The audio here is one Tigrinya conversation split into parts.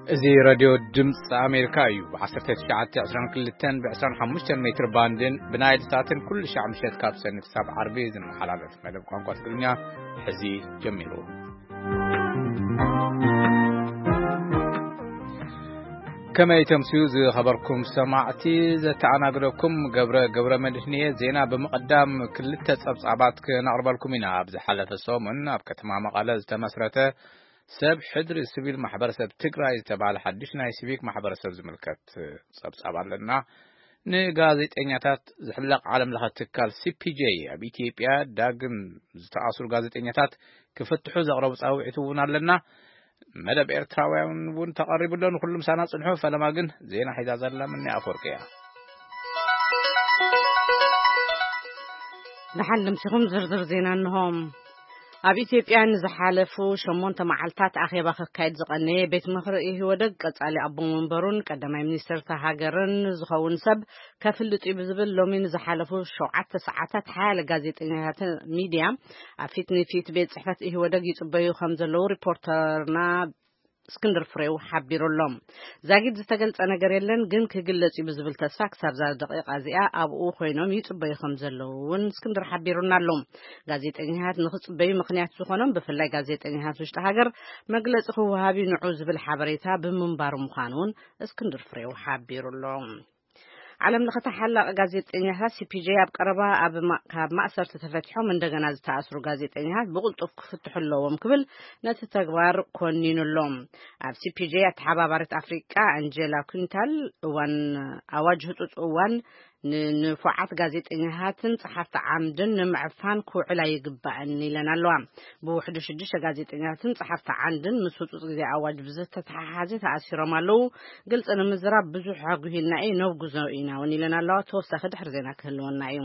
እዚ ሬድዮ ድምፂ ኣሜሪካ እዩ። ብ1922 ብ25 ሜትር ባንድን ብናይል ሳትን ኩሉ ሻዕ ምሸት ካብ ሰኒ ክሳብ ዓርቢ ዝመሓላለፍ መደብ ቋንቋ ትግርኛ ሕዚ ጀሚሩ። ከመይ ተምስዩ ዝኸበርኩም ሰማዕቲ፣ ዘተኣናግደኩም ገብረ ገብረ መድህንየ። ዜና ብምቕዳም ክልተ ጸብጻባት ክነቕርበልኩም ኢና። ኣብ ዝሓለፈ ሰሙን ኣብ ከተማ መቐለ ዝተመስረተ ሰብ ሕድሪ ሲቪል ማሕበረሰብ ትግራይ ዝተባህለ ሓድሽ ናይ ሲቪክ ማሕበረሰብ ዝምልከት ጸብጻብ ኣለና። ንጋዜጠኛታት ዝሕለቕ ዓለም ለኸ ትካል ሲ ፒ ጄ ኣብ ኢትዮጵያ ዳግም ዝተኣስሩ ጋዜጠኛታት ክፍትሑ ዘቕረቡ ጻውዒት እውን ኣለና። መደብ ኤርትራውያን እውን ተቐሪቡ ኣሎ። ንኹሉ ምሳና ጽንሑ። ፈለማ ግን ዜና ሒዛ ዘላ ምኒ ኣፈወርቂ እያ። ደሓን ልምሲኹም ዝርዝር ዜና እንሆ። ኣብ ኢትዮጵያ ንዝሓለፉ ሸሞንተ መዓልታት ኣኼባ ከካይድ ዝቐነየ ቤት ምኽሪ ኢህወደግ ቀጻሊ ኣቦ መንበሩን ቀዳማይ ሚኒስትር እታ ሃገርን ዝኸውን ሰብ ከፍልጥ እዩ ብዝብል ሎሚ ንዝሓለፉ ሸውዓተ ሰዓታት ሓያለ ጋዜጠኛታትን ሚድያ ኣብ ፊት ንፊት ቤት ጽሕፈት ኢህወደግ ይጽበዩ ከም ዘለዉ ሪፖርተርና እስክንድር ፍሬው ሓቢሩ ኣሎ። ዛጊድ ዝተገልጸ ነገር የለን፣ ግን ክግለጽ እዩ ብዝብል ተስፋ ክሳብ እዛ ደቂቓ እዚኣ ኣብኡ ኮይኖም ይጽበዩ ከም ዘለዉ እውን እስክንድር ሓቢሩና ኣሎ። ጋዜጠኛታት ንኽጽበዩ ምኽንያት ዝኾኖም ብፍላይ ጋዜጠኛታት ውሽጢ ሃገር መግለጺ ክወሃብ እዩ ንዑ ዝብል ሓበሬታ ብምንባሩ ምዃኑ እውን እስክንድር ፍሬው ሓቢሩ ኣሎ። ዓለም ለኸ ተሓላቒ ጋዜጠኛታት ሲ ፒ ጄ ኣብ ቀረባ ኣብ ማ-፣ ካብ ማእሰርቲ ተፈቲሖም እንደገና ዝተኣስሩ ጋዜጠኛታት ብቕልጡፍ ክፍትሑ ኣለዎም ክብል ነቲ ተግባር ኮኒኑ ኣሎ። ኣብ ሲ ፒ ጄ ኣተሓባባሪት ኣፍሪቃ ኣንጀላ ኩንታል እዋን ኣዋጅ ህጹጽ እዋን ንንፉዓት ጋዜጠኛታትን ጸሓፍቲ ዓምድን ንምዕፋን ክውዕል ኣይግባእን ኢለን ኣለዋ። ብውሕዱ ሽዱሽተ ጋዜጠኛታትን ጸሓፍቲ ዓምድን ምስ ህጹጽ ግዜ ኣዋጅ ብዝተተሓሓዘ ተኣሲሮም ኣለዉ። ግልጺ ንምዝራብ ብዙሕ ኣጉሂልና እዩ፣ ነውግዞ ኢና እውን ኢለን ኣለዋ። ተወሳኺ ድሕሪ ዜና ክህልወና እዩ።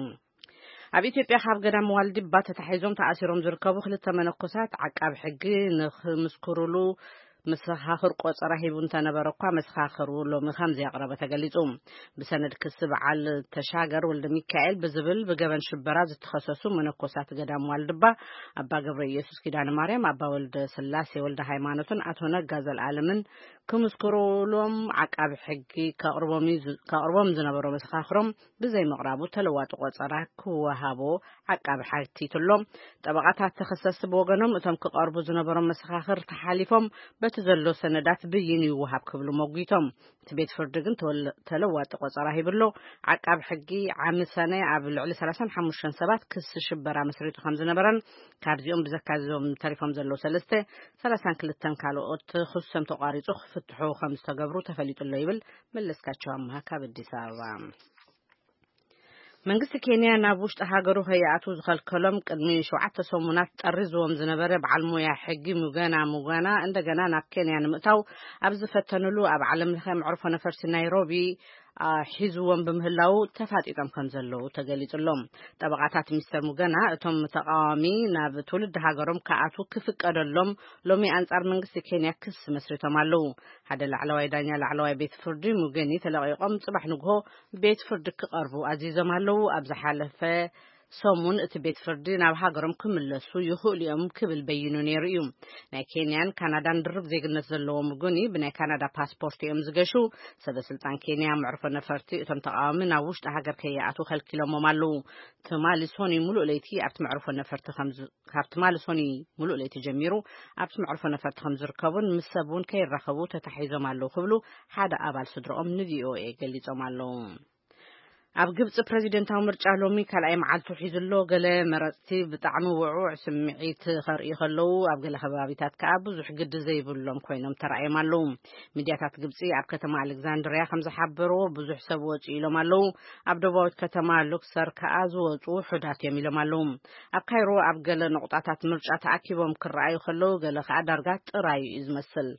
ኣብ ኢትዮጵያ ካብ ገዳም ዋልድባ ተታሒዞም ተኣሲሮም ዝርከቡ ክልተ መነኮሳት ዓቃቢ ሕጊ ንኽምስክሩሉ መሰኻኽር ቆጸራ ሂቡ እንተነበረ እኳ መሰኻኽሩ ሎሚ ከም ዘየቕረበ ተገሊጹ። ብሰነድ ክሲ በዓል ተሻገር ወልደ ሚካኤል ብዝብል ብገበን ሽበራ ዝተኸሰሱ መነኮሳት ገዳም ዋልድባ ኣባ ገብረ ኢየሱስ ኪዳነ ማርያም፣ ኣባ ወልደ ስላሴ ወልደ ሃይማኖትን ኣቶ ነጋ ዘልኣለምን ክምስክሩሎም ዓቃቢ ሕጊ ከቕርቦም እዩ ዝ-፣ ከቕርቦም ዝነበሮ መሰኻኽሮም ብዘይምቕራቡ ተለዋጢ ቆጸራ ክወሃቦ ዓቃቢ ሓቲቱ ኣሎ። ጠበቓታት ተኸሰስቲ ብወገኖም እቶም ክቐርቡ ዝነበሮም መሰኻኽር ተሓሊፎም በቲ ዘሎ ሰነዳት ብይን ይወሃብ ክብሉ መጒቶም። እቲ ቤት ፍርዲ ግን ተወለ-፣ ተለዋጢ ቆጸራ ሂቡ ኣሎ። ዓቃቢ ሕጊ ዓሚ ሰነ ኣብ ልዕሊ ሰላሳን ሓሙሽተን ሰባት ክሲ ሽበራ መስሪቱ ከም ዝነበረን ካብዚኦም ብዘካዚዞም ተሪፎም ዘለዉ ሰለስተ፣ ሰላሳን ክልተን ካልኦት ክሶም ተቋሪጹ ክፍትሑ ከም ዝተገብሩ ተፈሊጡ ኣሎ ይብል መለስካቸው ኣምሃ ካብ ኣዲስ ኣበባ። መንግስቲ ኬንያ ናብ ውሽጢ ሃገሩ ከይኣትዉ ዝኸልከሎም ቅድሚ ሸውዓተ ሰሙናት ጠሪዝዎም ዝነበረ በዓል ሞያ ሕጊ ሙገና ሙገና እንደገና ናብ ኬንያ ንምእታው ኣብ ዝፈተንሉ ኣብ ዓለም ለኸ መዕርፎ ነፈርቲ ናይሮቢ፣ አ፣ ሒዝዎም ብምህላዉ ተፋጢጦም ከም ዘለዉ ተገሊጹ ኣሎ። ጠበቓታት ሚስተር ሙገና እቶም ተቃዋሚ ናብ ትውልዲ ሃገሮም ክኣትዉ ክፍቀደሎም ሎሚ ኣንጻር መንግስቲ ኬንያ ክሲ መስሪቶም ኣለዉ። ሓደ ላዕለዋይ ዳኛ ላዕለዋይ ቤት ፍርዲ ሙገኒ ተለቒቖም ጽባሕ ንግሆ ቤት ፍርዲ ክቐርቡ ኣዚዞም ኣለዉ። ኣብ ዝሓለፈ ሰሙን እቲ ቤት ፍርዲ ናብ ሃገሮም ክምለሱ ይኽእሉ እዮም ክብል በይኑ ነይሩ እዩ። ናይ ኬንያን ካናዳን ድርብ ዜግነት ዘለዎም ሙገኒ ብናይ ካናዳ ፓስፖርት እዮም ዝገሹ። ሰበ ስልጣን ኬንያ መዕርፎ ነፈርቲ እቶም ተቃዋሚ ናብ ውሽጢ ሃገር ከይኣትዉ ከልኪሎሞም ኣለዉ። ትማሊ ሶኒ ሙሉእ ለይቲ ኣብቲ መዕርፎ ነፈርቲ ከም ዝ-፣ ካብ ትማሊ ሶኒ ሙሉእ ለይቲ ጀሚሩ ኣብቲ መዕርፎ ነፈርቲ ከም ዝርከቡን ምስ ሰብ እውን ከይራኸቡ ተታሒዞም ኣለዉ ክብሉ ሓደ ኣባል ስድርኦም ን ቪ ኦ ኤ ገሊጾም ኣለዉ። ኣብ ግብጺ ፕረዚደንታዊ ምርጫ ሎሚ ካልኣይ መዓልቱ ሒዙ ኣሎ። ገለ መረጽቲ ብጣዕሚ ውዑዕ ስምዒት ከርእዩ ከለዉ፣ ኣብ ገለ ከባቢታት ከኣ ብዙሕ ግዲ ዘይብሎም ኮይኖም ተራእዮም ኣለዉ። ሚድያታት ግብጺ ኣብ ከተማ ኣሌክዛንድርያ ከም ዝሓበርዎ፣ ብዙሕ ሰብ ወጺኡ ኢሎም ኣለዉ። ኣብ ደቡባዊት ከተማ ሉክሰር ከኣ ዝወጹ ውሑዳት እዮም ኢሎም ኣለዉ። ኣብ ካይሮ ኣብ ገለ ነቑጣታት ምርጫ ተኣኪቦም ክረኣዩ ከለዉ፣ ገለ ከኣ ዳርጋ ጥራዩ እዩ ዝመስል።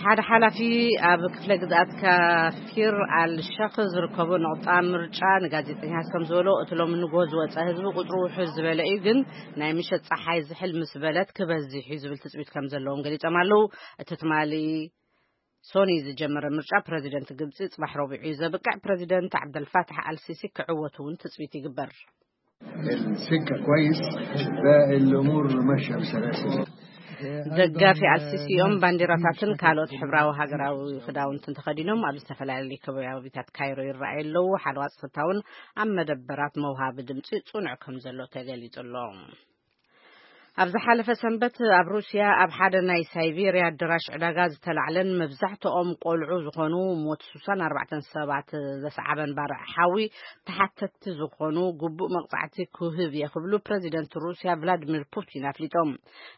ሓደ ሓላፊ ኣብ ክፍለ ግዝኣት ካፊር ኣልሸኽ ዝርከቡ ነቑጣ ምርጫ ንጋዜጠኛታት ከም ዝበሎ፣ እቲ ሎሚ ንግሆ ዝወጸ ህዝቢ ቁጽሩ ውሑድ ዝበለ እዩ፣ ግን ናይ ምሸት ጸሓይ ዝሕል ምስ በለት ክበዝሕ እዩ ዝብል ትጽቢት ከም ዘለዎም ገሊጾም ኣለዉ። እቲ ትማሊ ሶኒ ዝጀመረ ምርጫ ፕረዚደንት ግብጺ ጽባሕ ረቡዕ እዩ ዘብቅዕ። ፕረዚደንት ዓብደልፋታሕ ኣልሲሲ ክዕወት እውን ትጽቢት ይግበር። السكة كويس، باقي الأمور ماشية بسلاسة. ደጋፊ ኣልሲሲ እዮም። ባንዲራታትን ካልኦት ሕብራዊ ሃገራዊ ክዳውንትን ተኸዲኖም ኣብ ዝተፈላለዩ ከባቢታት ካይሮ ይረኣዩ ኣለዉ። ሓለዋ ጸጥታ እውን ኣብ መደበራት መውሃቢ ድምጺ ጽኑዕ ከም ዘሎ ተገሊጹ ኣሎ። ኣብ ዝሓለፈ ሰንበት ኣብ ሩስያ ኣብ ሓደ ናይ ሳይቤርያ ኣደራሽ ዕዳጋ ዝተላዕለን መብዛሕትኦም ቆልዑ ዝኾኑ ሞት ሱሳን ኣርባዕተን ሰባት ዘስዓበን ባርዕ ሓዊ ተሓተትቲ ዝኾኑ ግቡእ መቕጻዕቲ ክህብ እየ ክብሉ ፕረዚደንት ሩስያ ቭላድሚር ፑቲን ኣፍሊጦም።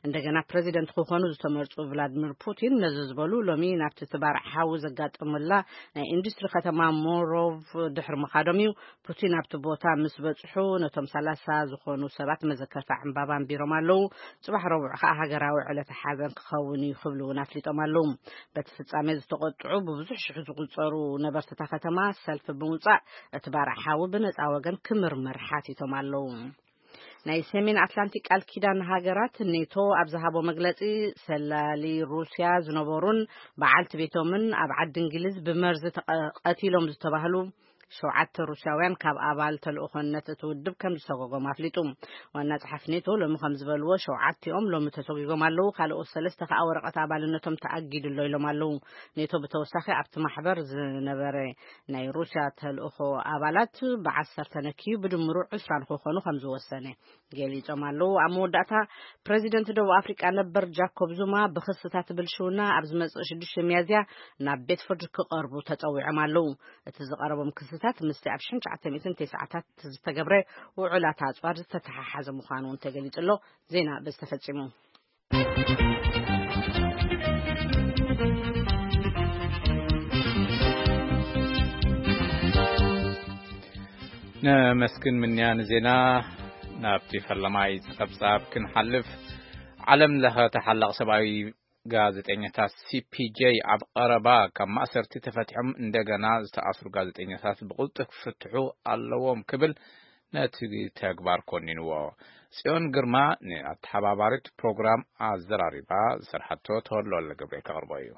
እንደገና ፕረዚደንት ክኾኑ ዝተመርጹ ቭላድሚር ፑቲን ነዚ ዝበሉ ሎሚ ናብቲ እቲ ባርዕ ሓዊ ዘጋጠመላ ናይ ኢንዱስትሪ ከተማ ሞሮቭ ድሕሪ ምኻዶም እዩ። ፑቲን ኣብቲ ቦታ ምስ በጽሑ ነቶም ሰላሳ ዝኾኑ ሰባት መዘከርታ ዕምባባ ኣንቢሮም ኣለዉ። ጽባሕ ረቡዕ ከኣ ሃገራዊ ዕለተ ሓዘን ክኸውን እዩ ክብሉ እውን ኣፍሊጦም ኣለዉ። በቲ ፍጻሜ ዝተቖጥዑ ብብዙሕ ሽሕ ዝቑጸሩ ነበርቲ እታ ከተማ ሰልፊ ብምውጻእ እቲ ባርዕ ሓዊ ብነጻ ወገን ክምርመር ሓቲቶም ኣለዉ። ናይ ሰሜን ኣትላንቲክ ቃል ኪዳን ሃገራት ኔቶ ኣብ ዝሃቦ መግለጺ ሰላሊ ሩስያ ዝነበሩን በዓልቲ ቤቶምን ኣብ ዓዲ እንግሊዝ ብመርዚ ተቐ- ቀቲሎም ዝተባህሉ ሸውዓተ ሩስያውያን ካብ ኣባል ተልእኾነት እቲ ውድብ ከም ዝሰጎጎም ኣፍሊጡ። ዋና ጸሓፊ ኔቶ ሎሚ ከም ዝበልዎ ሸውዓቲኦም ሎሚ ተሰጒጎም ኣለዉ። ካልኦት ሰለስተ ከኣ ወረቐት ኣባልነቶም ተኣጊዱ ኣሎ ኢሎም ኣለዉ። ኔቶ ብተወሳኺ ኣብቲ ማሕበር ዝነበረ ናይ ሩስያ ተልእኾ ኣባላት ብዓሰርተ ነክዩ ብድምሩ ዕስራ ንክኾኑ ከም ዝወሰነ ገሊጾም ኣለዉ። ኣብ መወዳእታ ፕረዚደንት ደቡብ ኣፍሪቃ ነበር ጃኮብ ዙማ ብክስታት ብልሽውና ኣብ ዝመጽእ ሽዱሽተ ሚያዝያ ናብ ቤት ፍርዲ ክቐርቡ ተጸዊዖም ኣለዉ። እቲ ዝቐረቦም ክስታት ምስቲ ኣብ ሽሕን ትሽዓተ ሚእትን ተስዓታት ዝተገብረ ውዑላት ኣጽዋር ዝተተሓሓዘ ምዃኑ እውን ተገሊጹ ኣሎ። ዜና በዚ ተፈጺሙ። ነመስግን ምንያ ንዜና። ናብቲ ፈለማይ ጸብጻብ ክንሓልፍ፣ ዓለም ለኸ ተሓላቕ ሰብኣዊ ጋዜጠኛታት ሲ ፒ ጄ ኣብ ቀረባ ካብ ማእሰርቲ ተፈቲሖም እንደገና ዝተኣስሩ ጋዜጠኛታት ብቕልጡፍ ክፍትሑ ኣለዎም ክብል ነቲ ተግባር ኮኒንዎ። ጽዮን ግርማ ንኣተሓባባሪት ፕሮግራም ኣዘራሪባ ዝሰርሓቶ ተወልደ ገብረ ከቕርቦ እዩ።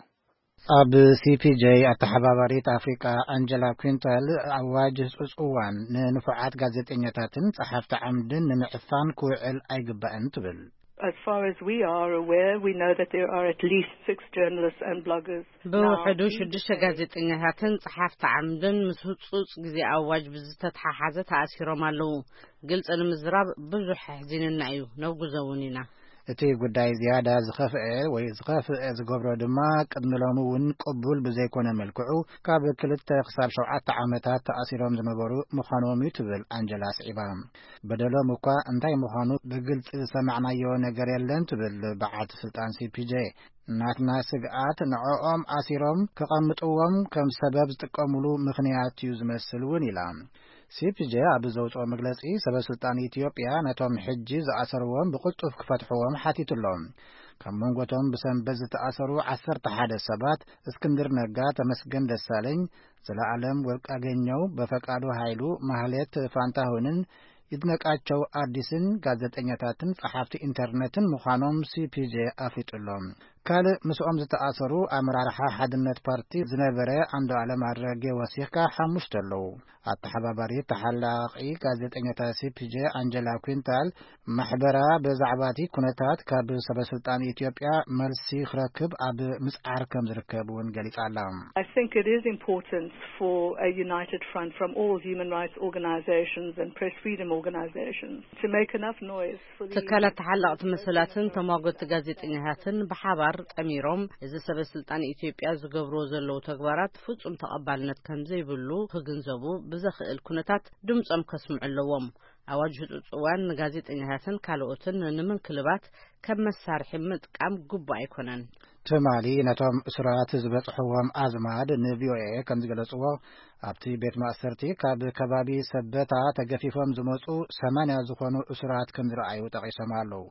ኣብ ሲ ፒ ጄ ኣተሓባባሪት ኣፍሪቃ ኣንጀላ ኩንታል ኣዋጅ ህጹጽ እዋን ንንፉዓት ጋዜጠኛታትን ጸሓፍቲ ዓምድን ንምዕፋን ክውዕል ኣይግባእን ትብል። As far as we are aware, we know that there are at least six journalists and bloggers now ብውሕዱ in the ሽዱሽተ Hague. ጋዜጠኛታትን ጸሓፍቲ ዓምድን ምስ ህጹጽ ግዜ ኣዋጅ ብዝተተሓሓዘ ተኣሲሮም ኣለዉ። ግልጺ ንምዝራብ ብዙሕ ኣሕዚንና እዩ፣ ነውግዞ እውን ኢና። እቲ ጉዳይ ዝያዳ ዝኸፍአ ወይ ዝኸፍአ ዝገብሮ ድማ ቅድሚ ሎሚ እውን ቅቡል ብዘይኮነ መልክዑ ካብ ክልተ ክሳብ ሸውዓተ ዓመታት ተኣሲሮም ዝነበሩ ምዃኖም እዩ ትብል ኣንጀላ ስዒባ። በደሎም እኳ እንታይ ምዃኑ ብግልጺ ዝሰማዕናዮ ነገር የለን ትብል በዓልቲ ስልጣን ሲ ፒ ጄ። ናትና ስግኣት ንዕኦም ኣሲሮም ከቐምጥዎም ከም ሰበብ ዝጥቀሙሉ ምኽንያት እዩ ዝመስል እውን ኢላ። ሲ ፒ ጄ ኣብ ዘውፅኦ መግለፂ ሰበ ስልጣን ኢትዮጵያ ነቶም ሕጂ ዝኣሰርዎም ብቕልጡፍ ክፈትሕዎም ሓቲቱ ኣሎ። ካብ መንጎቶም ብሰንበት ዝተኣሰሩ ዓሰርተ ሓደ ሰባት እስክንድር ነጋ፣ ተመስገን ደሳለኝ፣ ዘለኣለም ወርቃገኘው፣ በፈቃዱ ኃይሉ፣ ማህሌት ፋንታሁንን ይድነቃቸው አዲስን ጋዜጠኛታትን ጸሓፍቲ ኢንተርነትን ምዃኖም ሲ ፒ ጄ ኣፍሊጡ ኣሎ። ካልእ ምስኦም ዝተኣሰሩ ኣመራርሓ ሓድነት ፓርቲ ዝነበረ ዓንዱዓለም ኣረጌ ወሲኽካ ሓሙሽተ ኣለዉ። ኣተሓባባሪ ተሓላቒ ጋዜጠኛታት ሲ ፒ ጄ ኣንጀላ ኩንታል ማሕበራ ብዛዕባ እቲ ኩነታት ካብ ሰበ ስልጣን ኢትዮጵያ መልሲ ክረክብ ኣብ ምጽዓር ከም ዝርከብ እውን ገሊጻ ኣላ። I think it is important for a united front from all human rights organizations and press freedom organizations to make enough noise for the ትካላት ተሓለቕቲ መሰላትን ተሟገቲ ጋዜጠኛታትን ብሓባር ጠሚሮም እዚ ሰበ ስልጣን ኢትዮጵያ ዝገብርዎ ዘለዉ ተግባራት ፍጹም ተቐባልነት ከም ዘይብሉ ክግንዘቡ ብዘኽእል ኩነታት ድምጾም ከስምዑ ኣለዎም። ኣዋጅ ህጹጽ እዋን ንጋዜጠኛታትን ካልኦትን ንምንክልባት ከም መሳርሒ ምጥቃም ግቡእ ኣይኮነን። ትማሊ ነቶም እሱራት ዝበጽሕዎም ኣዝማድ ን ቪ ኦ ኤ ከም ዝገለጽዎ፣ ኣብቲ ቤት ማእሰርቲ ካብ ከባቢ ሰበታ ተገፊፎም ዝመጹ ሰማንያ ዝኾኑ እሱራት ከም ዝረኣዩ ጠቒሶም ኣለዉ።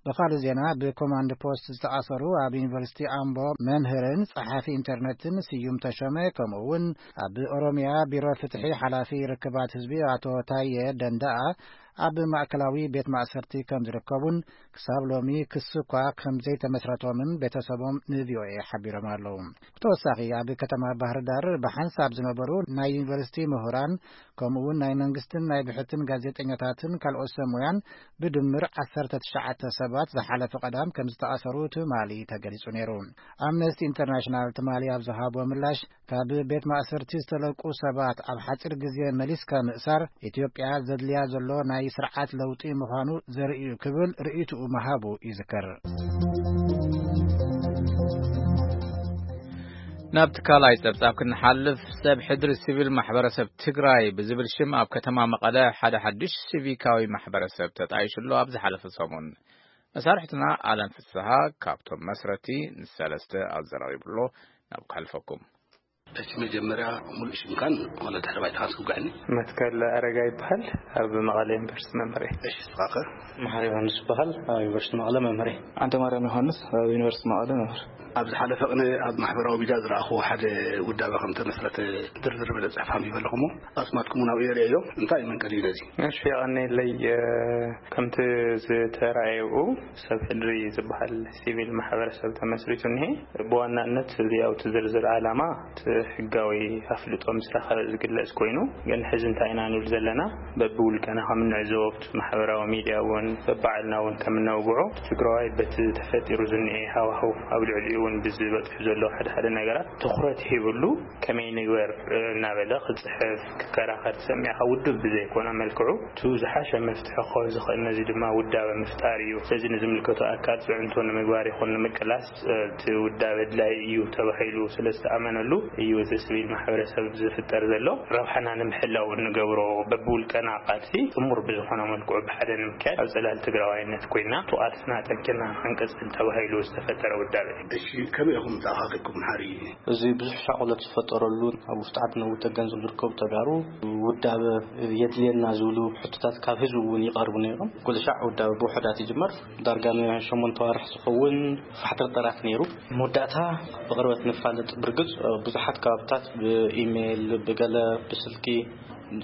ብኻልእ ዜና፣ ብኮማንድ ፖስት ዝተኣሰሩ ኣብ ዩኒቨርሲቲ ኣምቦ መምህርን ጸሓፊ ኢንተርነትን ስዩም ተሾመ፣ ከምኡ እውን ኣብ ኦሮሚያ ቢሮ ፍትሒ ሓላፊ ርክባት ህዝቢ ኣቶ ታየ ደንዳኣ ኣብ ማእከላዊ ቤት ማእሰርቲ ከም ዝርከቡን ክሳብ ሎሚ ክሲ እኳ ከም ዘይተመስረቶምን ቤተሰቦም ን ቪ ኦ ኤ ሓቢሮም ኣለዉ። ብተወሳኺ ኣብ ከተማ ባህር ዳር ብሓንሳብ ዝነበሩ ናይ ዩኒቨርሲቲ ምሁራን ከምኡ እውን ናይ መንግስትን ናይ ብሕትን ጋዜጠኛታትን ካልኦት ሰብ ሞያን ብድምር ዓሰርተ ትሽዓተ ሰባት ዝሓለፈ ቀዳም ከም ዝተኣሰሩ ትማሊ ተገሊጹ ነይሩ። ኣምነስቲ ኢንተርናሽናል ትማሊ ኣብ ዝሃቦ ምላሽ ካብ ቤት ማእሰርቲ ዝተለቁ ሰባት ኣብ ሓጺር ግዜ መሊስካ ምእሳር ኢትዮጵያ ዘድልያ ዘሎ ናይ ስርዓት ለውጢ ምዃኑ ዘርኢ እዩ ክብል ርእይትኡ ምሃቡ ይዝከር። ናብ ትካላይ ጸብጻብ ክንሓልፍ፣ ሰብ ሕድሪ ሲቪል ማሕበረሰብ ትግራይ ብዝብል ሽም ኣብ ከተማ መቐለ ሓደ ሓድሽ ሲቪካዊ ማሕበረሰብ ተጣይሹ ኣሎ። ኣብ ዝሓለፈ ሰሙን መሳርሕትና ኣለም ፍስሃ ካብቶም መስረቲ ንሰለስተ ኣዘራሪቡ ኣሎ። ናብ ክሓልፈኩም። እሺ፣ መጀመርያ ሙሉእ ሽምካን ማለት ድሕሪ ባይታኻን ስጉዕኒ። መትከል ኣረጋ ይበሃል። ኣብ መቐለ ዩኒቨርሲቲ መምህር እየ። እሺ፣ ንስኻኸ? መሓሪ ዮሃንስ ይበሃል። ኣብ ዩኒቨርሲቲ መቐለ መምህር እየ። ኣንተ ማርያም ዮሃንስ፣ ኣብ ዩኒቨርሲቲ መቐለ መምህር። ኣብዚ ሓለፈ ቅነ ኣብ ማሕበራዊ ሚድያ ዝረኣኽዎ ሓደ ውዳበ ከም ተመስረተ ድርድር በለ ጽሕፍ ኣንቢበ ኣለኹ እሞ፣ ኣስማትኩም እውን ኣብኡ የርእዮ። እንታይ እዩ መንቀሊኡ ነዚ? እሺ፣ የቐንየለይ። ከምቲ ዝተራእየኡ ሰብ ሕድሪ ዝበሃል ሲቪል ማሕበረሰብ ተመስሪቱ እኒሄ። ብዋናነት እዚ ኣብቲ ዝርዝር ዓላማ እቲ ሕጋዊ ኣፍልጦ ምስ ረኸበ ዝግለጽ ኮይኑ፣ ግን ሕዚ እንታይ ኢና ንብል ዘለና፣ በብውልቀና ከም እንዕዘቦ ኣብቲ ማሕበራዊ ሚድያ እውን በባዕልና እውን ከም እነውግዖ፣ ትግራዋይ በቲ ተፈጢሩ ዝኒኤ ሃዋህው ኣብ ልዕሊኡ እውን ብዝበጽሑ ዘለዉ ሓደ ሓደ ነገራት ትኹረት ሂብሉ ከመይ ንግበር እናበለ ክጽሕፍ ክከራኸር ትሰሚዕኻ ውድብ ብዘይኮነ መልክዑ እቲ ዝሓሸ መፍትሒ ክኸውን ዝኽእል ነዚ ድማ ውዳበ ምፍጣር እዩ። ስለዚ ንዝምልከቶ ኣካል ፅዕንቶ ንምግባር ይኹን ንምቅላስ እቲ ውዳበ ኣድላይ እዩ ተባሂሉ ስለ ዝተኣመነሉ እዩ እቲ ስቪል ማሕበረሰብ ዝፍጠር ዘሎ። ረብሓና ንምሕላው እንገብሮ በብውልቀና ቃልሲ ጥሙር ብዝኾነ መልክዑ ብሓደ ንምክያድ ኣብ ፅላል ትግራዋይነት ኮይና ቃልስና ኣጠንኪርና ክንቅፅል ተባሂሉ ዝተፈጠረ ውዳበ እዩ። እሺ፣ ከመይ ኢኹም ተኣኻኺብኩም ሓሪ? እዚ ብዙሕ ሻቕሎት ዝፈጠረሉ ኣብ ውሽጢ ዓዲ ነዊት ተገንዘብ ዝርከቡ ተጋሩ ውዳበ የድልየና ዝብሉ ሕቶታት ካብ ህዝቢ እውን ይቐርቡ ነይሮም። ኩሉ ሻዕ ውዳበ ብውሑዳት ይጅመር። ዳርጋ ንሸሞንተ ዋርሕ ዝኸውን ፋሕትርጠራት ነይሩ። መወዳእታ ብቕርበት ንፋለጥ። ብርግጽ ብዙሓት ከባብታት ብኢሜይል፣ ብገለ ብስልኪ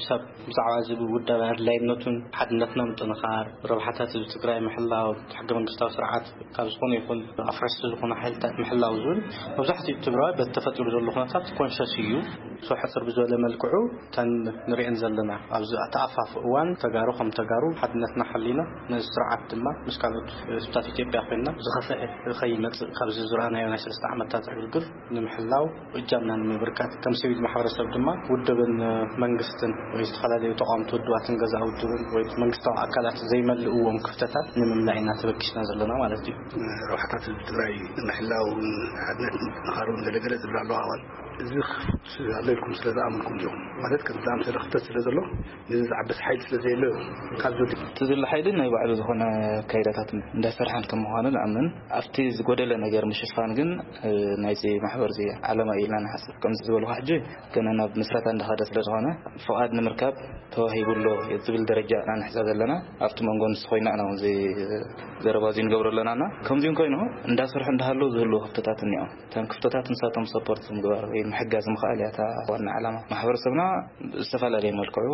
ሰብ ብዛዕባ እዚ ውዳበ ኣድላይነቱን ሓድነትና ምጥንኻር፣ ረብሓታት ህዝቢ ትግራይ ምሕላው፣ ሕገ መንግስታዊ ስርዓት ካብ ዝኾነ ይኹን ኣፍረስቲ ዝኾኑ ሓይልታት ምሕላው ዝብል መብዛሕትኡ ትግራዋይ በቲ ተፈጢሩ ዘሎ ኩነታት ኮንሸስ እዩ። ሶ ሕፅር ብዝበለ መልክዑ እተን ንሪአን ዘለና ኣብዚ ተኣፋፍ እዋን ተጋሩ ከም ተጋሩ ሓድነትና ሓሊና ነዚ ስርዓት ድማ ምስ ካልኦት ህዝብታት ኢትዮጵያ ኮይንና ዝኸፍአ ከይመፅእ ካብዚ ዝረኣናዮ ናይ ሰለስተ ዓመታት ዕግርግር ንምሕላው እጃምና ንምብርካት ከም ሲቪል ማሕበረሰብ ድማ ውድብን መንግስትን ወይ ዝተፈላለዩ ተቃወምቲ ውድባትን ገዛ ውድብን ወይ መንግስታዊ ኣካላት ዘይመልእዎም ክፍተታት ንምምላእ ኢና ተበጊስና ዘለና ማለት እዩ። ረብሓታት ህዝቢ ትግራይ ንምሕላውን ሓድነት ንምጥንኻሩን ገለገለ ዝብላ ኣለዋ ኣዋል እዚ ክፉት ኣሎ ኢልኩም ስለ ዝኣመንኩም ዲኹም ማለት ከም ዝኣምሰለ ክፍተት ስለ ዘሎ ነዚ ዝዓበስ ሓይሊ ስለ ዘየሎ ካብ ዘሎ እቲ ዘሎ ሓይሊ ናይ ባዕሉ ዝኾነ ኣካይዳታት እንዳሰርሐን ከም ምዃኑ ንኣምን ኣብቲ ዝጎደለ ነገር ምሽፋን ግን ናይዚ ማሕበር እዚ ዓለማ እዩ ኢልና ንሓስብ። ከምዚ ዝበልኩ ሕጂ ገና ናብ ምስረታ እንዳኸደ ስለ ዝኾነ ፍቓድ ንምርካብ ተዋሂቡ ኣሎ ዝብል ደረጃ ኢና ንሕጸብ ዘለና። ኣብቲ መንጎ ንሱ ኮይና ኢና እዚ ዘረባ እዚ ንገብሮ ኣለናና። ከምዚኦም ኮይኑ እንዳሰርሑ እንዳሃለዉ ዝህልዉ ክፍተታት እኒኦም። እተን ክፍተታት ንሳቶም ሰፖርት ምግባር ወይ ምሕጋዝ ምኽኣል እያ እታ ዋና ዓላማ። ማሕበረሰብና ብዝተፈላለየ መልክዑ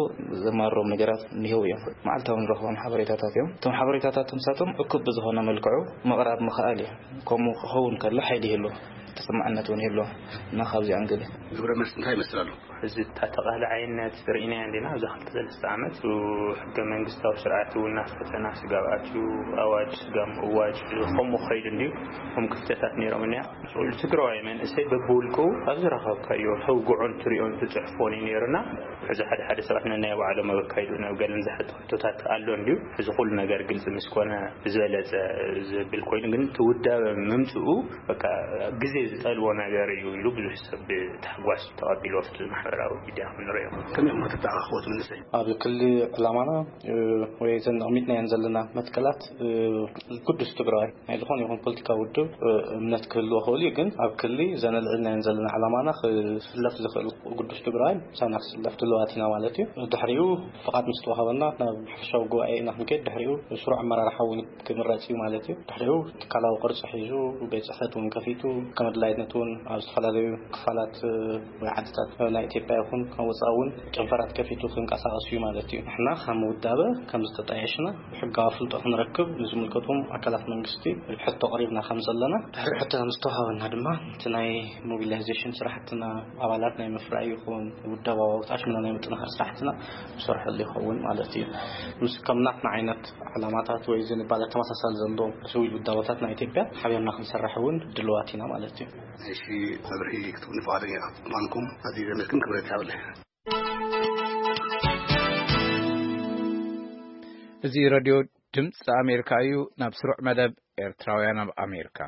ዘማርሮም ነገራት እኒህው እዮም። መዓልታዊ ንረኽቦም ሓበሬታታት እዮም። እቶም ሓበሬታታት ንሳቶም እኩብ ብዝኾነ መልክዑ ምቕራብ ምኽኣል እዩ። ከምኡ ክኸውን ከሎ ሓይሊ ይህልዎ፣ ተሰማዕነት እውን ይህልዎ እና ካብዚ ኣንግል እዩ። ግብረ መልሲ እንታይ ይመስል ኣሎ? እዚ እታ ተቓላዓይነት ርኢናዮ እንዲና ኣብዛ ክልተ ሰለስተ ዓመት ሕገ መንግስታዊ ስርዓት እውን ናብ ፈተና ስጋብ ኣትዩ ኣዋጅ ስጋብ ምእዋጅ ከምኡ ከይዱ እንድዩ። ከም ክፍተታት ነይሮም እኒያ ትግራዋይ መንእሰይ በብውልቁ ኣብ ዝረኸብካዮ ተውግዖን ትሪኦን ትፅሕፎን እዩ ነይሩና። ሕዚ ሓደ ሓደ ሰባት ነናይ ባዕሎም ኣብ ኣካይድኡ ናብ ገለን ዝሓጡ ሕቶታት ኣሎ እንድዩ። ሕዚ ኩሉ ነገር ግልፂ ምስ ኮነ ዝበለፀ ዝብል ኮይኑ ግን እቲ ውዳበ ምምፅኡ በቃ ግዜ ዝጠልቦ ነገር እዩ ኢሉ ብዙሕ ሰብ ብታሕጓስ ተቐቢሉ ኣብቲ ማሕበራዊ ሚድያ ክንሪኦ። ከመይ ኢኹም ከተተኣኻኽቦ እቲ መንእሰይ? ኣብ ክሊ ዕላማና ወይ እዘን ኣቕሚጥናየን ዘለና መትከላት ግዱስ ትግራዋይ ናይ ዝኾነ ይኹን ፖለቲካዊ ውድብ እምነት ክህልዎ ክእል እዩ። ግን ኣብ ክሊ ዘነልዕልናየን ዘለና ዕላማና ክስለፍ ዝኽእል ግዱስ ትግራዋይ ምሳና ክስለፍ ድልዋት ኢና ማለት እዩ። ድሕሪኡ ፍቓድ ምስ ተዋሃበና ናብ ሓፈሻዊ ጉባኤ ኢና ክንከይድ። ድሕሪኡ ስሩዕ ኣመራርሓ እውን ክምረጽ እዩ ማለት እዩ። ድሕሪኡ ትካላዊ ቅርጺ ሒዙ ቤት ጽሕፈት እውን ከፊቱ ከም ብፍላይ ነቲ እውን ኣብ ዝተፈላለዩ ክፋላት ወይ ዓድታት ናይ ኢትዮጵያ ይኹን ካብ ወፃኢ እውን ጨንፈራት ከፊቱ ክንቀሳቀስ እዩ ማለት እዩ። ንሕና ከም ውዳበ ከም ዝተጣየሽና ብሕጋዊ ፍልጦ ክንረክብ ንዝምልከቶም ኣካላት መንግስቲ ሕቶ ኣቕሪብና ከም ዘለና፣ ድሕሪ ሕቶ ምስ ተዋሃበና ድማ እቲ ናይ ሞቢላይዜሽን ስራሕትና ኣባላት ናይ ምፍራይ ይኹን ውዳባዊ ኣውጣሽና ናይ ምጥንኻር ስራሕትና ንሰርሐሉ ይኸውን ማለት እዩ። ምስ ከም ናትና ዓይነት ዕላማታት ወይ ዝንባለ ተመሳሳሊ ዘሎ ስዊል ውዳበታት ናይ ኢትዮጵያ ሓቢርና ክንሰርሕ እውን ድልዋት ኢና ማለት እዩ። እሺ፣ መብርሂ ክትህቡኒ ፍቓደኛ ምዃንኩም ኣዝየ ዘመስግን፣ ክብረት ይሃበለይ። እዚ ሬድዮ ድምፂ ኣሜሪካ እዩ። ናብ ስሩዕ መደብ ኤርትራውያን ኣብ ኣሜሪካ።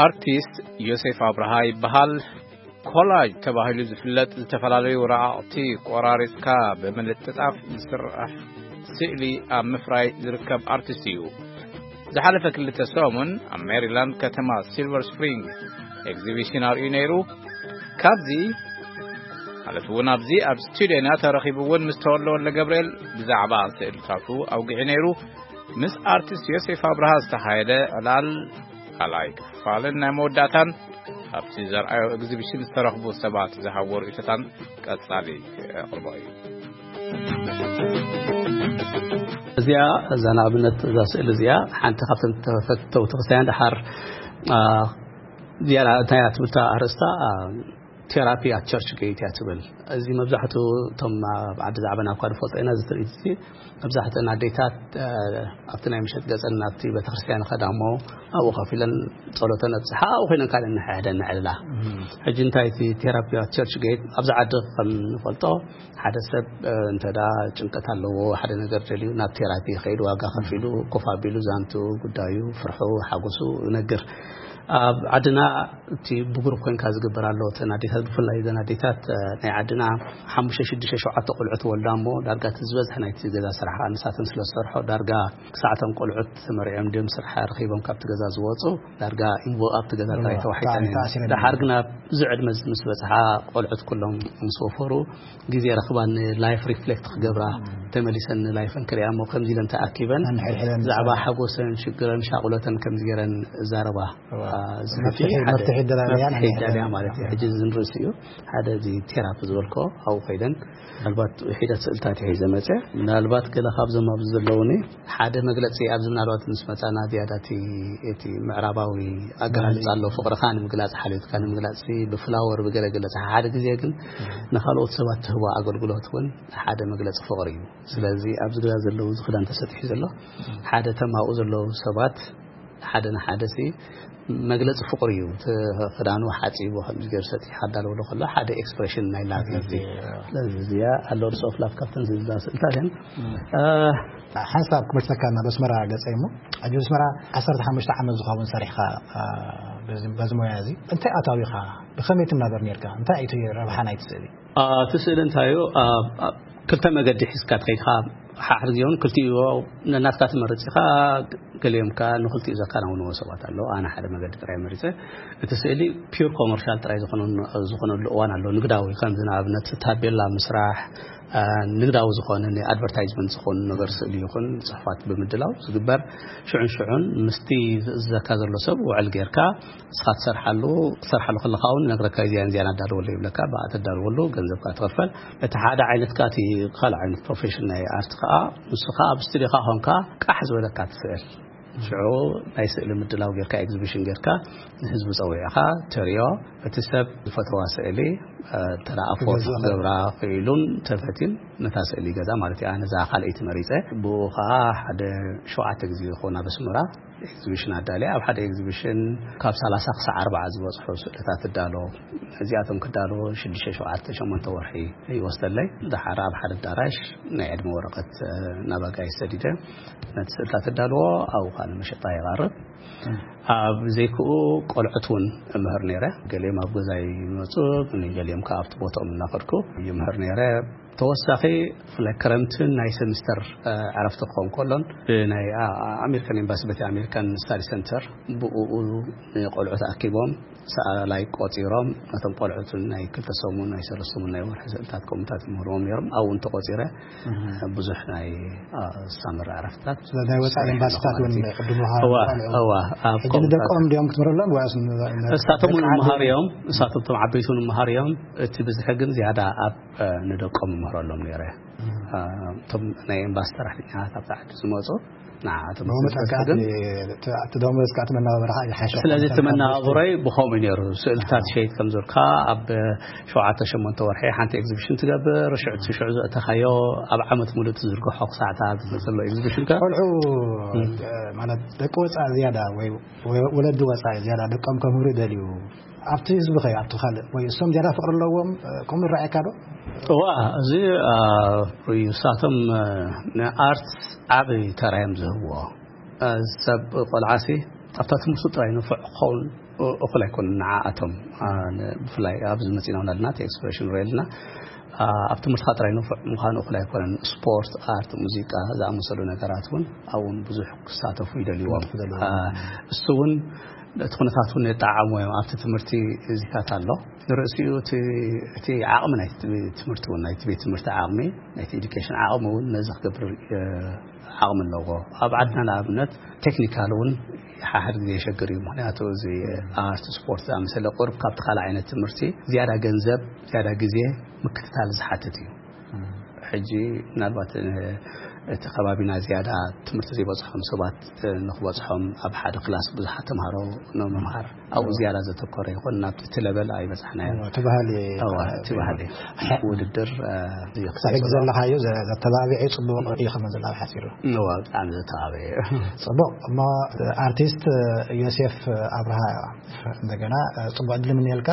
ኣርቲስት ዮሴፍ ኣብርሃ ይበሃል። ኮላጅ ተባሂሉ ዝፍለጥ ዝተፈላለዩ ረቓቕቲ ቆራሪጽካ ብምልጥጣፍ ዝስራሕ ስእሊ ኣብ ምፍራይ ዝርከብ ኣርቲስት እዩ። ዝሓለፈ ክልተ ሰሙን ኣብ ሜሪላንድ ከተማ ሲልቨር ስፕሪንግ ኤግዚቢሽን ኣርእዩ ነይሩ። ካብዚ ማለት እውን ኣብዚ ኣብ ስቱድዮና ተረኺቡ እውን ምስ ተወልደ ወልደ ገብርኤል ብዛዕባ ስእልታቱ ኣውጊዑ ነይሩ። ምስ ኣርቲስት ዮሴፍ ኣብርሃ ዝተኻየደ ዕላል ካልኣይ ክፋልን ናይ መወዳእታን ኣብቲ ዘርኣዮ ኤግዚቢሽን ዝተረኽቡ ሰባት ዝሃብዎ ርእይቶታን ቀጻሊ ክቕርቦ እዩ። እዚኣ እዛ ንኣብነት እዛ ስእሊ እዚኣ ሓንቲ ካብተን ተፈተውቲ ክርስትያን ደሓር እዚኣ እንታይ እያ ትብል ኣርእስታ ቴራፒ ኣት ቸርች ጌት እያ ትብል። እዚ መብዛሕትኡ እቶም ኣብ ዓዲ ዛዕበና እኳ ንፈልጦ ኢና እዚ ትርኢት እዚ መብዛሕትአን ኣዴታት ኣብቲ ናይ ምሸት ገፀን ናብቲ ቤተክርስትያን ይኸዳ እሞ ኣብኡ ከፊለን ጸሎተን ኣብፅሓ ኣብኡ ኮይነን ካልእ ንሕሕደን ንዕልላ። ሕጂ እንታይ እቲ ቴራፒ ኣት ቸርች ጌት ኣብዚ ዓዲ ከም ንፈልጦ ሓደ ሰብ እንተዳ ጭንቀት ኣለዎ ሓደ ነገር ደልዩ ናብ ቴራፒ ይኸይድ ዋጋ ከፊሉ ኮፍ ኣቢሉ ዛንቱ ጉዳዩ ፍርሑ ሓጎሱ ይነግር። ኣብ ዓድና እቲ ብግሩፕ ኮይንካ ዝግበር ኣሎ እተን ኣዴታት ብፍላይ እዘን ኣዴታት ናይ ዓድና ሓሙሽተ ሽዱሽተ ሸውዓተ ቆልዑ ትወልዳ እሞ ዳርጋ እቲ ዝበዝሐ ናይቲ ገዛ ስራሕ ከዓ ንሳተን ስለ ዝሰርሖ ዳርጋ ክሳዕቶም ቆልዑት ተመሪዖም ድም ስራሕ ረኪቦም ካብቲ ገዛ ዝወፁ ዳርጋ ኢንቮ ኣብቲ ገዛ ጥራይ ተዋሒጠን እየን። ደሓር ግና ብዙ ዕድመ ምስ በፅሓ ቆልዑት ኩሎም ምስ ወፈሩ ግዜ ረክባ ንላይፍ ሪፍሌክት ክገብራ ተመሊሰን ንላይፈን ክሪኣ እሞ ከምዚ ኢለን ተኣኪበን ብዛዕባ ሓጎሰን ሽግረን ሻቁለተን ከምዚ ገይረን እዛረባ ዝሕጂ መፍትሒ ደላልያ ማለት እዩ። ሕጂ ዝንርእስ እዩ ሓደ እዚ ቴራፕ ዝበልኮ ኣብኡ ኮይደን ምናልባት ሒደት ስእልታት ሒዘ መፀ ምናልባት ገለ ካብዞም ኣብዚ ዘለውኒ ሓደ መግለፂ ኣብዚ ምናልባት ምስ መፃና ዝያዳ እቲ ምዕራባዊ ኣገላልፃ ኣሎ ፍቅርካ ንምግላፅ ሓልዮትካ ንምግላፅ ብፍላወር ብገለገለ ሓደ ግዜ ግን ንካልኦት ሰባት ትህቦ ኣገልግሎት እውን ሓደ መግለፂ ፍቅሪ እዩ። ስለዚ ኣብዚ ገዛ ዘለዉ እዚ ክዳን ተሰጢሑ ዘሎ ሓደ ተማኡ ዘለዉ ሰባት ሓደ ንሓደ ሲ መግለፂ ፍቅሪ እዩ። እቲ ክዳኑ ሓፂቡ ከምዚ ገይሩ ሰጢሑ ኣዳለወሉ ከሎ ሓደ ኤክስፕሬሽን ናይ ላቭ እዩ። ስለዚ እዚኣ ኣሎ ርስ ኦፍ ላቭ ካብተን ዝብላ ስእልታት እየን። ሓንሳብ ክመልሰካ ናብ ኣስመራ ገፀ እሞ ኣጅ ኣስመራ ዓሰርተ ሓሙሽተ ዓመት ዝኸውን ሰሪሕካ በዚ ሞያ እዚ እንታይ ኣታዊኻ ብኸመይ ትናበር ነርካ እንታይ እቲ ረብሓ ናይቲ ስእሊ እቲ ስእሊ እንታይ እዩ? ክልተ መገዲ ሒዝካ ትኸይድካ ሓሕር ግዜውን ክልቲኡ ነናትካ ትመርፅ ኢኻ። ገሊኦም ከ ንክልቲኡ ዘከናውንዎ ሰባት ኣለዉ። ኣነ ሓደ መገዲ ጥራይ መሪፀ። እቲ ስእሊ ፒር ኮመርሻል ጥራይ ዝኾነሉ እዋን ኣሎ። ንግዳዊ ከምዚ ንኣብነት ታቤላ ምስራሕ ንግዳዊ ዝኾነ ንኣድቨርታይዝመንት ዝኾኑ ነገር ስእሊ ይኹን ፅሑፋት ብምድላው ዝግበር ሽዑን ሽዑን ምስቲ ዝእዘካ ዘሎ ሰብ ውዕል ጌርካ ንስኻ ትሰርሓሉ ክትሰርሓሉ ከለኻ እውን ነግረካ እዚያን እዚያን ኣዳልወሉ ይብለካ ብኣ ተዳልወሉ ገንዘብካ ትኸፈል። እቲ ሓደ ዓይነትካ እቲ ካልእ ዓይነት ፕሮፌሽን ናይ ኣርት ከዓ ንሱ ከዓ ኣብ ስቱዲዮካ ኮንካ ቃሕ ዝበለካ ትስእል ሽዑ ናይ ስእሊ ምድላው ጌርካ ኤግዚቢሽን ጌርካ ንህዝቢ ፀዊዕኻ ተሪዮ እቲ ሰብ ዝፈትዋ ስእሊ ተረኣፎ ክገብራ ክኢሉን ተፈትን ነታ ስእሊ ይገዛ ማለት እዩ። ኣነ እዛ ካልኣይቲ መሪፀ ብኡ ከዓ ሓደ ሸውዓተ ግዜ ይኸውን ኣብ ኣስመራ ኤግዚቢሽን ኣዳልየ ኣብ ሓደ ኤግዚቢሽን ካብ ሰላሳ ክሳዕ ኣርባዓ ዝበፅሑ ስእልታት እዳሎ። እዚኣቶም ክዳሎ ሽዱሽተ ሸውዓተ ሸሞንተ ወርሒ ይወስደለይ። ድሓር ኣብ ሓደ ኣዳራሽ ናይ ዕድመ ወረቐት ናብ ኣጋይሽ ሰዲደ ነቲ ስእልታት እዳልዎ ኣብኡ ከዓ ንመሸጣ የቓርብ። ኣብ ዘይክኡ ቆልዑት እውን እምህር ነይረ። ገሊኦም ኣብ ገዛይ ይመፁ፣ ገሊኦም ከዓ ኣብቲ ቦታኦም እናኸድኩ ይምህር ነይረ። ተወሳኺ ብፍላይ ክረምትን ናይ ሰሚስተር ዕረፍቲ ክኸውን ከሎን ብናይ ኣሜሪካን ኤምባሲ በቲ ኣሜሪካን ስታዲ ሰንተር ብኡ ንቆልዑት ኣኪቦም ሰኣላይ ቆፂሮም ነቶም ቆልዑትን ናይ ክልተ ሰሙን ናይ ሰለስተ ሰሙን ናይ ወርሒ ስእልታት ከምኡታት ይምህርዎም ነይሮም። ኣብኡ እንተቆፂረ ብዙሕ ናይ ሳመር ዕረፍትታት ናይ ወፃኢ ኤምባሲታት እውን ዕድል ምሃብ እዋ እዋ ኣብ ሕጂ ንደቆም እንዲኦም ክትምህረሎም ወይስ እሳቶም እውን መሃር እዮም። እሳቶም እቶም ዓበይቲ እውን መሃር እዮም። እቲ ብዝሒ ግን ዝያዳ ኣብ ንደቆም እምህረሎም ነይረ። እቶም ናይ ኤምባሲ ሰራሕተኛታት ኣብቲ ዓዲ ዝመፁ ንዓኣቶም ብኡ መጠን ከዓ እቲ ደሞዝ ከዓ እቲ መናባብራ ከዓ ይሓሸ ስለዚ እቲ መናባብሮይ ብኸምኡ ነይሩ። ስእልታት ሸይጥ ከም ዝብልካ ኣብ ሸውዓተ ሸሞንተ ወርሒ ሓንቲ ኤግዚቢሽን ትገብር። ሽዑ እቲ ሽዑ ዘእተኻዮ ኣብ ዓመት ሙሉእ ትዝርግሖ ክሳዕታት ዘሎ ኤግዚቢሽን ከ ቆልዑ ማለት ደቂ ወፃኢ ዝያዳ ወይ ወለዲ ወፃኢ ዝያዳ ደቆም ከምህሩ ይደልዩ ኣብቲ ህዝቢ ከ ኣብቲ ካልእ ወይ እሶም ዝያዳ ፍቅሪ ኣለዎም ከምኡ ይረኣየካ ዶ? እዋ እዚ እዩ። እሳቶም ንኣርት ዓብዪ ተራ እዮም ዝህብዎ። ሰብ ቆልዓሲ ኣብታ ትምህርቱ ጥራይ ንፉዕ ክኸውን እኹል ኣይኮነን። ንዓኣቶም ብፍላይ ኣብዚ መፂና ውናልና እቲ ኤክስፕሬሽን ሪልና ኣብ ትምህርትካ ጥራይ ንፉዕ ምዃኑ እኹል ኣይኮነን። ስፖርት፣ ኣርት፣ ሙዚቃ ዝኣመሰሉ ነገራት እውን ኣብውን ብዙሕ ክሳተፉ ይደልይዎም። እሱ እውን እቲ ኩነታት እውን የጠዓዕሞ እዮም። ኣብቲ ትምህርቲ እዚታት ኣሎ ንርእሲኡ እቲ ዓቕሚ ናይ ትምህርቲ እውን ናይቲ ቤት ትምህርቲ ዓቕሚ ናይቲ ኤዱኬሽን ዓቕሚ እውን ነዚ ክገብር ዓቕሚ ኣለዎ። ኣብ ዓድና ንኣብነት ቴክኒካል እውን ሓሕድ ግዜ የሸግር እዩ። ምክንያቱ እዚ ኣርት ስፖርት ዝኣመሰለ ቁርብ ካብቲ ካልእ ዓይነት ትምህርቲ ዝያዳ ገንዘብ ዝያዳ ግዜ ምክትታል ዝሓትት እዩ። ሕጂ ምናልባት እቲ ከባቢና ዝያዳ ትምህርቲ ዘይበፅሖም ሰባት ንክበፅሖም ኣብ ሓደ ክላስ ብዙሓት ተምሃሮ ንምምሃር ኣብኡ ዝያዳ ዘተኮረ ይኹን ናብቲ እቲ ለበል ኣይበፃሕናዮ። እቲ ባህሊ እቲ ባህሊ ውድድር ክሳብ ዘለኻዮ ዘተባቢዐ ፅቡቅ እዩ ከመ ዘላ ሓሲሩ ብጣዕሚ ዘተባበየ። ፅቡቅ እሞ ኣርቲስት ዮሴፍ ኣብርሃ እንደገና ፅቡቅ ዕድል ምንየልካ።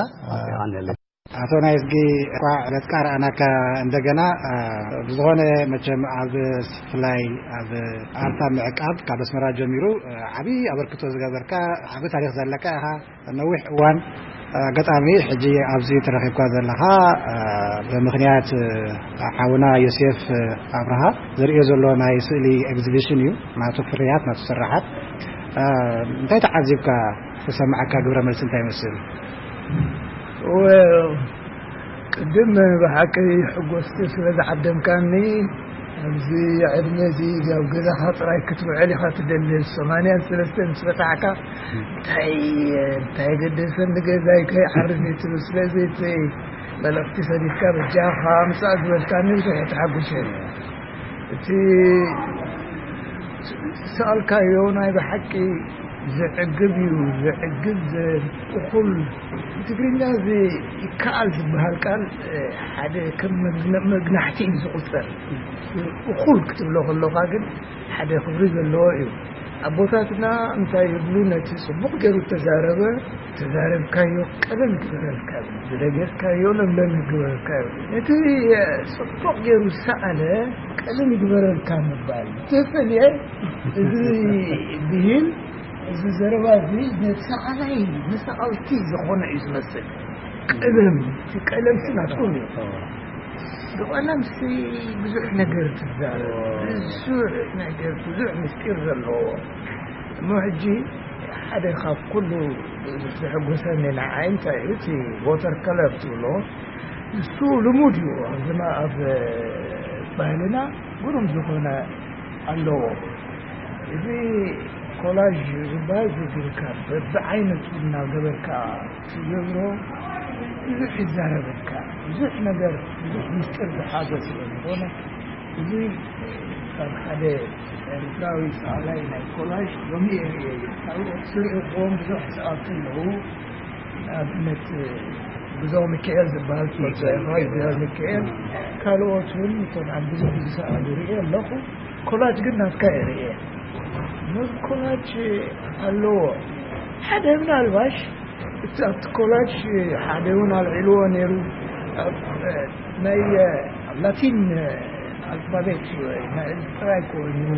ኣቶ ናይዝጊ እኳ ገጽካ ረኣናካ እንደገና። ብዝኾነ መቸም ኣብ ፍላይ ኣብ ኣርታ ምዕቃብ ካብ ኣስመራ ጀሚሩ ዓብዪ ኣበርክቶ ዝገበርካ ዓቢ ታሪኽ ዘለካ ኢኻ። ነዊሕ እዋን ኣጋጣሚ ሕጂ ኣብዚ ተረኺብካ ዘለኻ ብምኽንያት ሓውና ዮሴፍ ኣብርሃ ዝርእዮ ዘሎ ናይ ስእሊ ኤግዚቢሽን እዩ። ናቱ ፍርያት ናቱ ስራሓት እንታይ ተዓዚብካ? ተሰማዓካ ግብረ መልሲ እንታይ ይመስል? Well ቅድም ብሓቂ ሕጎስቲ ስለ ዝዓደምካኒ ኣብዚ ዕድመ እዚ ኣብ ገዛኻ ጥራይ ክትውዕል ኢኻ ትደሊ ሰማንያን ሰለስተን ምስ በጻሕካ እንታይ እንታይ ገደሰኒ ገዛይ ከይዓርፍ እዩ ትብል ስለዚ እቲ መልእኽቲ ሰዲድካ በጃኻ ምጻእ ዝበልካኒ ብዙሕ እየ ተሓጒሰ እቲ ዝሰኣልካዮ ናይ ብሓቂ ዘዕግብ እዩ ዘዕግብ እኹል ትግርኛ እዚ ይከኣል ዝበሃል ቃል ሓደ ከም መግናሕቲ እዩ ዝቁፀር እኹል ክትብሎ ከለካ ግን ሓደ ክብሪ ዘለዎ እዩ ኣቦታትና እንታይ ይብሉ ነቲ ፅቡቅ ገይሩ ተዛረበ ተዛረብካዮ ቀለል ግበረልካ ዝደገፍካዮ ለምለም ይግበረልካ ነቲ ፅቡቅ ገይሩ ዝሰኣለ ቀለል ይግበረልካ ምባል ተፈልየ እዚ ብሂል እዚ ዘረባ እዚ ነቲ ሰኣላይ ንሰኣልቲ ዝኾነ እዩ ዝመስል ቀለም እቲ ቀለም ሲ ናትኩም እዩ ብቐለም ሲ ብዙሕ ነገር ትዛረብ ብዙሕ ነገር ብዙሕ ምስጢር ዘለዎ እሞ ሕጂ ሓደ ካብ ኩሉ ዘሐጎሰኒ ንዓይ እንታይ እዩ እቲ water colour ትብሎ እሱ ልሙድ እዩ ኣብዚና ኣብ ባህልና ግሩም ዝኾነ ኣለዎ እዚ ኮላጅ ዝበሃል ዝግርካ በብዓይነቱ እናገበርካ ትገብሮ ብዙሕ ይዛረበካ ብዙሕ ነገር ብዙሕ ምስጢር ዝሓዘ ስለ ዝኾነ እዚ ካብ ሓደ ኤርትራዊ ሰኣላይ ናይ ኮላጅ ሎሚ እየ ርእየ እዩ ካልኦት ዝርእኽዎም ብዙሕ ሰኣልቲ ኣለዉ ንኣብነት ብዙ ሚካኤል ዝበሃል ትፈልጦ ኢኻ ሚካኤል ካልኦት እውን እቶም ኣብ ብዙሕ ዝሰኣሉ ርእየ ኣለኹ ኮላጅ ግን ናትካ እየ ርእየ ነዚ ኮላጅ ኣለዎ ሓደ ምናልባሽ እቲ ኣብቲ ኮላጅ ሓደ እውን ኣልዒልዎ ነይሩ ናይ ላቲን ኣልፋቤት ጥራይ ኮይኑ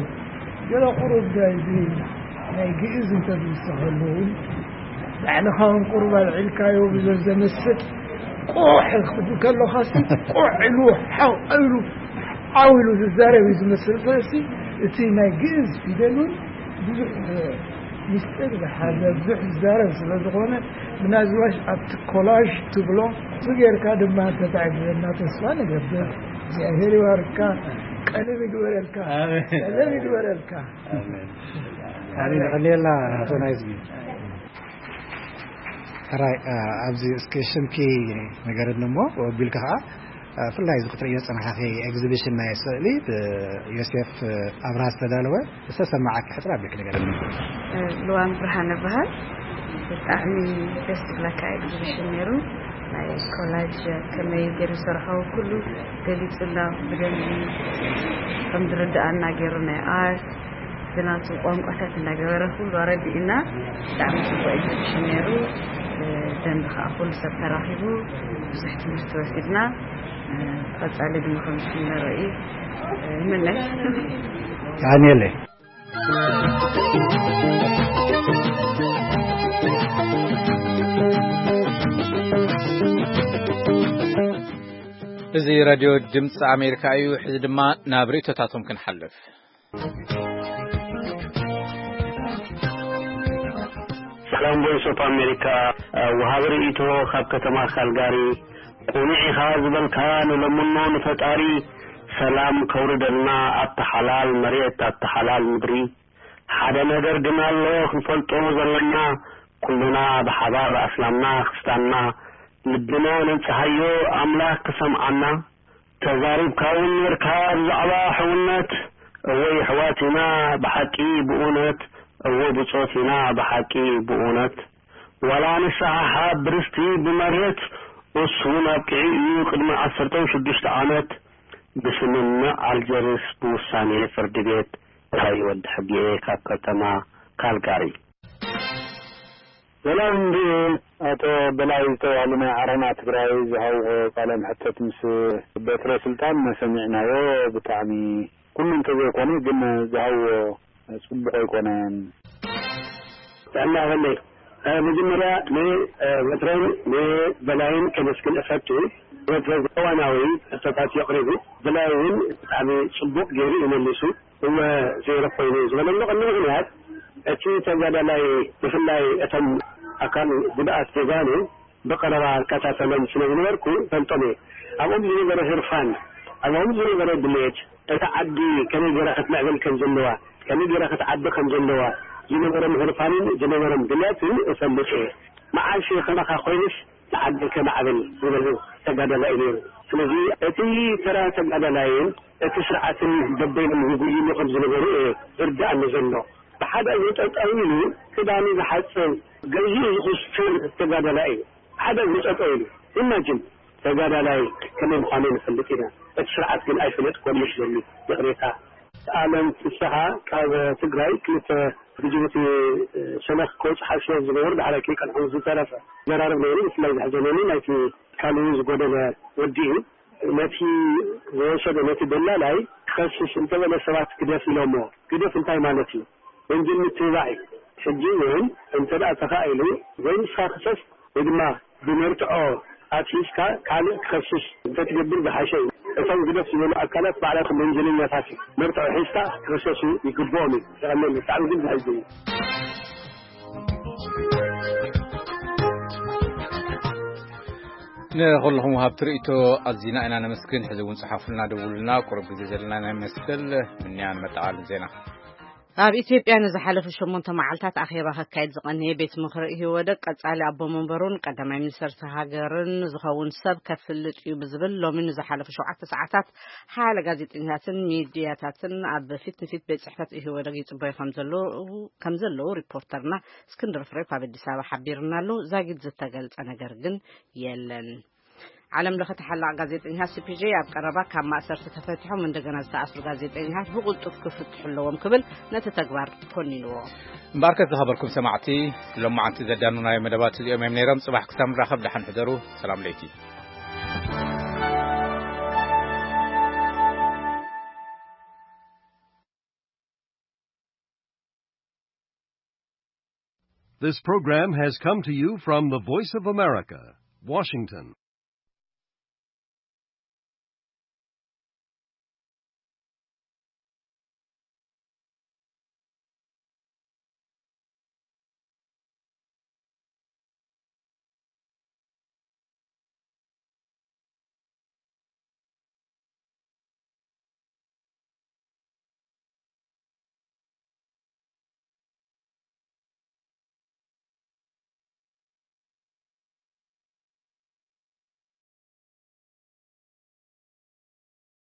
ገለ ቁሩብ እዚ ናይ ግእዝ እንተዝውሰኸሉ እውን ባዕልኻ እውን ቁሩብ ኣልዒልካዮ ብዘዘመስጥ ቆሕ ክትብል ከለኻሲ፣ ቆሕ ኢሉ፣ ሓው ኢሉ፣ ዓው ኢሉ ዝዛረብ እዩ ዝመስል። ስለዚ እቲ ናይ ግእዝ ፊደል እውን ብዙሕ ሚስጥር ዝሓዘ፣ ብዙሕ ዝዛረብ ስለ ዝኾነ፣ ምናዝባሽ ኣብቲ ኮላዥ ትብሎ፣ እዚ ጌርካ ድማ እንተተዕግበና ተስፋ ንገብር። እግዚኣብሔር ይባርካ፣ ቀሊል ይግበረልካ፣ ኣሜን። ቀለል ይግበረልካ። ኣሜን። ኣሜን። ይቐንየልና ኣቶ ናይዝጊ። ሕራይ፣ እ፣ ኣብዚ እስኪ ሽምኪ ንገረኒ እሞ፣ ወቢልካ ኸዓ፣ እ፣ ብፍላይ እዚ ክትርእዮ ዝጸናሕኺ ኤግዚቢሽን ናይ ስእሊ ብዮሴፍ ኣብርሃ ዝተዳለወ ዝተሰማዓኪ ሕጽር ኣቢልኪ ንገረኒ። እ፣ ልዋም ብርሃን እበሃል። ብጣዕሚ ደስ ዝብለካ ኤግዚቢሽን ነይሩ። ናይ ኮላጅ ከመይ ገይሩ ዝሰርሖ ኩሉ ገሊጹና ብደንቢ ከም ዝርድኣና ገይሩ ናይ ኣርት ብናቱ ቋንቋታት እናገበረ ኩሉ ኣረዲእና። ብጣዕሚ ጽቡቅ ኤግዚቢሽን ነይሩ። እ፣ ደንቢ ከዓ ኩሉ ሰብ ተራኺቡ ብዙሕ ትምህርቲ ወሲድና። እ፣ ቀጻሊ ድማ ከም ዝፍነሮ እዩ፣ እ፣ ይምነ። የቐንየለይ። እዚ ራድዮ ድምፂ ኣሜሪካ እዩ። ሕዚ ድማ ናብ ርእቶታቶም ክንሓልፍ። ሰላም ቮይስ ኦፍ ኣሜሪካ፣ ወሃቢ ርእይቶ ካብ ከተማ ካልጋሪ። ቁኑዕ ኢኻ ዝበልካ፣ ንለምኖ ንፈጣሪ ሰላም ከውርደልና ኣብቲ ሓላል መሬት፣ ኣብቲ ሓላል ምድሪ። ሓደ ነገር ግን ኣሎ ክንፈልጦ ዘለና፣ ኩልና ብሓባር ኣስላምና ክርስታንና ልብና ነንጽሃዮ ኣምላኽ ክሰምዓና። ተዛሪብካ እውን ነርካ ብዛዕባ ሕውነት። እወ የሕዋት ኢና ብሓቂ ብእውነት፣ እወ ብጾት ኢና ብሓቂ ብእውነት። ዋላ ንሰሓሓብ ብርስቲ ብመሬት፣ እሱ እውን ኣብቂዑ እዩ ቅድሚ ዓሰርተ ሽዱሽተ ዓመት ብስምምዕ ኣልጀርስ ብውሳኔ ፍርዲ ቤት። እንታይ ወዲ ሕጊኤ ካብ ከተማ ካልጋሪ። ሰላም እንድዩ ኣቶ በላይ ዝተባህሉ ናይ ዓረና ትግራይ ዝሃብዎ ቃለ መሕተት ምስ በትረ ስልጣን መሰሚዕናዮ። ብጣዕሚ ኩሉ እንተዘይኮነ ግን ዝሃብዎ ጽቡቕ ኣይኮነን። ጥዕና ይሃበለይ። እ፣ መጀመርያ ን፣ እ፣ በትረን ንበላይን ከመስግን እፈቱ። በትረ እዋናዊ ሕቶታት የቕሪቡ፣ በላይ እውን ብጣዕሚ ጽቡቕ ገይሩ ይመልሱ። እወ፣ ዜሮ ኮይኑ ዝበለሉ ቀንዲ ምኽንያት፣ እቲ ተጋዳላይ፣ ብፍላይ እቶም ኣካል ጉድኣት ጀጋኑ ብቐረባ እከታተሎም ስለ ዝነበርኩ እፈልጦም እየ። ኣብኦም ዝነበረ ህርፋን፣ ኣብኦም ዝነበረ ድሌት፣ እታ ዓዲ ከመይ ገይራ ክትምዕብል ከም ዘለዋ፣ ከመይ ገይራ ክትዓቢ ከም ዘለዋ ዝነበሮም ህርፋንን ዝነበሮም ድሌትን እፈልጥ እየ። መዓስ ከማኻ ኮይኑስ ንዓደይ ከማዕብል ዝበሉ ተጋዳላይ እዩ ነይሩ። ስለዚ እቲ ተራ ተጋዳላይን እቲ ስርዓትን በበይኖም ይጉይሉ ከም ዝነበሩ እየ ዝርድኣኒ ዘሎ። ብሓደ እግሩ ጠጠው ኢሉ ክዳኑ ዝሓጽብ ገዚኡ ዝኹስትን ተጋዳላይ እዩ። ብሓደ እግሩ ጠጠው ኢሉ። ኢማጅን ተጋዳላይ ከመይ ምዃኑ ንፈልጥ ኢና። እቲ ስርዓት ግን ኣይፈለጥኩዎን እዩ ዘሎ። ይቕሬታ። ኣለም ፍስሓ ካብ ትግራይ ክልተ ብጅቡቲ ሸነኽ ክወፅእ ሓሲቦም ዝነበሩ ዳሕራይ ከይቀንዖም ዝተረፈ ዘራርብ ነይሩ። ብፍላይ ዘሕዘነኒ ናይቲ ካልኡ ዝጎደለ ወዲ እዩ። ነቲ ዝወሰደ ነቲ ደላላይ ክኸስስ እንተበለ ሰባት ግደፍ ኢሎሞ። ግደፍ እንታይ ማለት እዩ? ወንጀል ምትብባዕ እዩ። ሕጂ እውን እንተ ደኣ ተኻኢሉ ወይ ንስኻ ክሰስ ወይ ድማ ብመርትዖ ኣትሒዝካ ካልእ ክኸስስ እንተትገብር ዝሓሸ እዩ። እቶም ግደፍ ዝበሉ ኣካላት ባዕላቶም ወንጀለኛታት እዮም። መርትዖ ሒዝካ ክኽሰሱ ይግብኦም እዩ። የቐንየለይ። ብጣዕሚ ግን ዘሕዝን እዩ። ንኹልኹም ወሃብቲ ርእይቶ ኣዚና ኢና ነመስግን። ሕዚ እውን ጸሓፉልና፣ ደውሉልና። ቁሩብ ግዜ ዘለና ናይ መስል ምንያን መጠቓልን ዜና። ኣብ ኢትዮጵያ ንዝሓለፉ ሸሞንተ መዓልታት ኣኼባ ከካይድ ዝቐነየ ቤት ምኽሪ ኢህወደግ ቀጻሊ ኣቦ መንበሩን ቀዳማይ ሚኒስተር እታ ሃገርን ዝኸውን ሰብ ከፍልጥ እዩ ብዝብል ሎሚ ንዝሓለፉ ሸውዓተ ሰዓታት ሓያለ ጋዜጠኛታትን ሚድያታትን ኣብ ፊት ንፊት ቤት ጽሕፈት ኢህወደግ ይጽበዩ ከም ዘለዉ፣ ከም ዘለዉ ሪፖርተርና እስክንድር ፍሬው ካብ ኣዲስ ኣበባ ሓቢርና ኣሎ። ዛጊድ ዝተገልጸ ነገር ግን የለን። ዓለም ለኸ ተሓላቕ ጋዜጠኛታት ሲ ፒ ጄ ኣብ ቀረባ ካብ ማእሰርቲ ተፈቲሖም እንደገና ዝተኣስሩ ጋዜጠኛታት ብቕልጡፍ ክፍትሑ ኣለዎም ክብል ነቲ ተግባር ኮኒንዎ። እምበኣርከስ ዝኸበርኩም ሰማዕቲ፣ ሎማዓንቲ ዘዳኑናዮ መደባት እዚኦም እዮም ነይሮም። ጽባሕ ክሳብ ንራኸብ ደሓን ሕደሩ። ሰላም ለይቲ። This program has come to you from the Voice of America, Washington.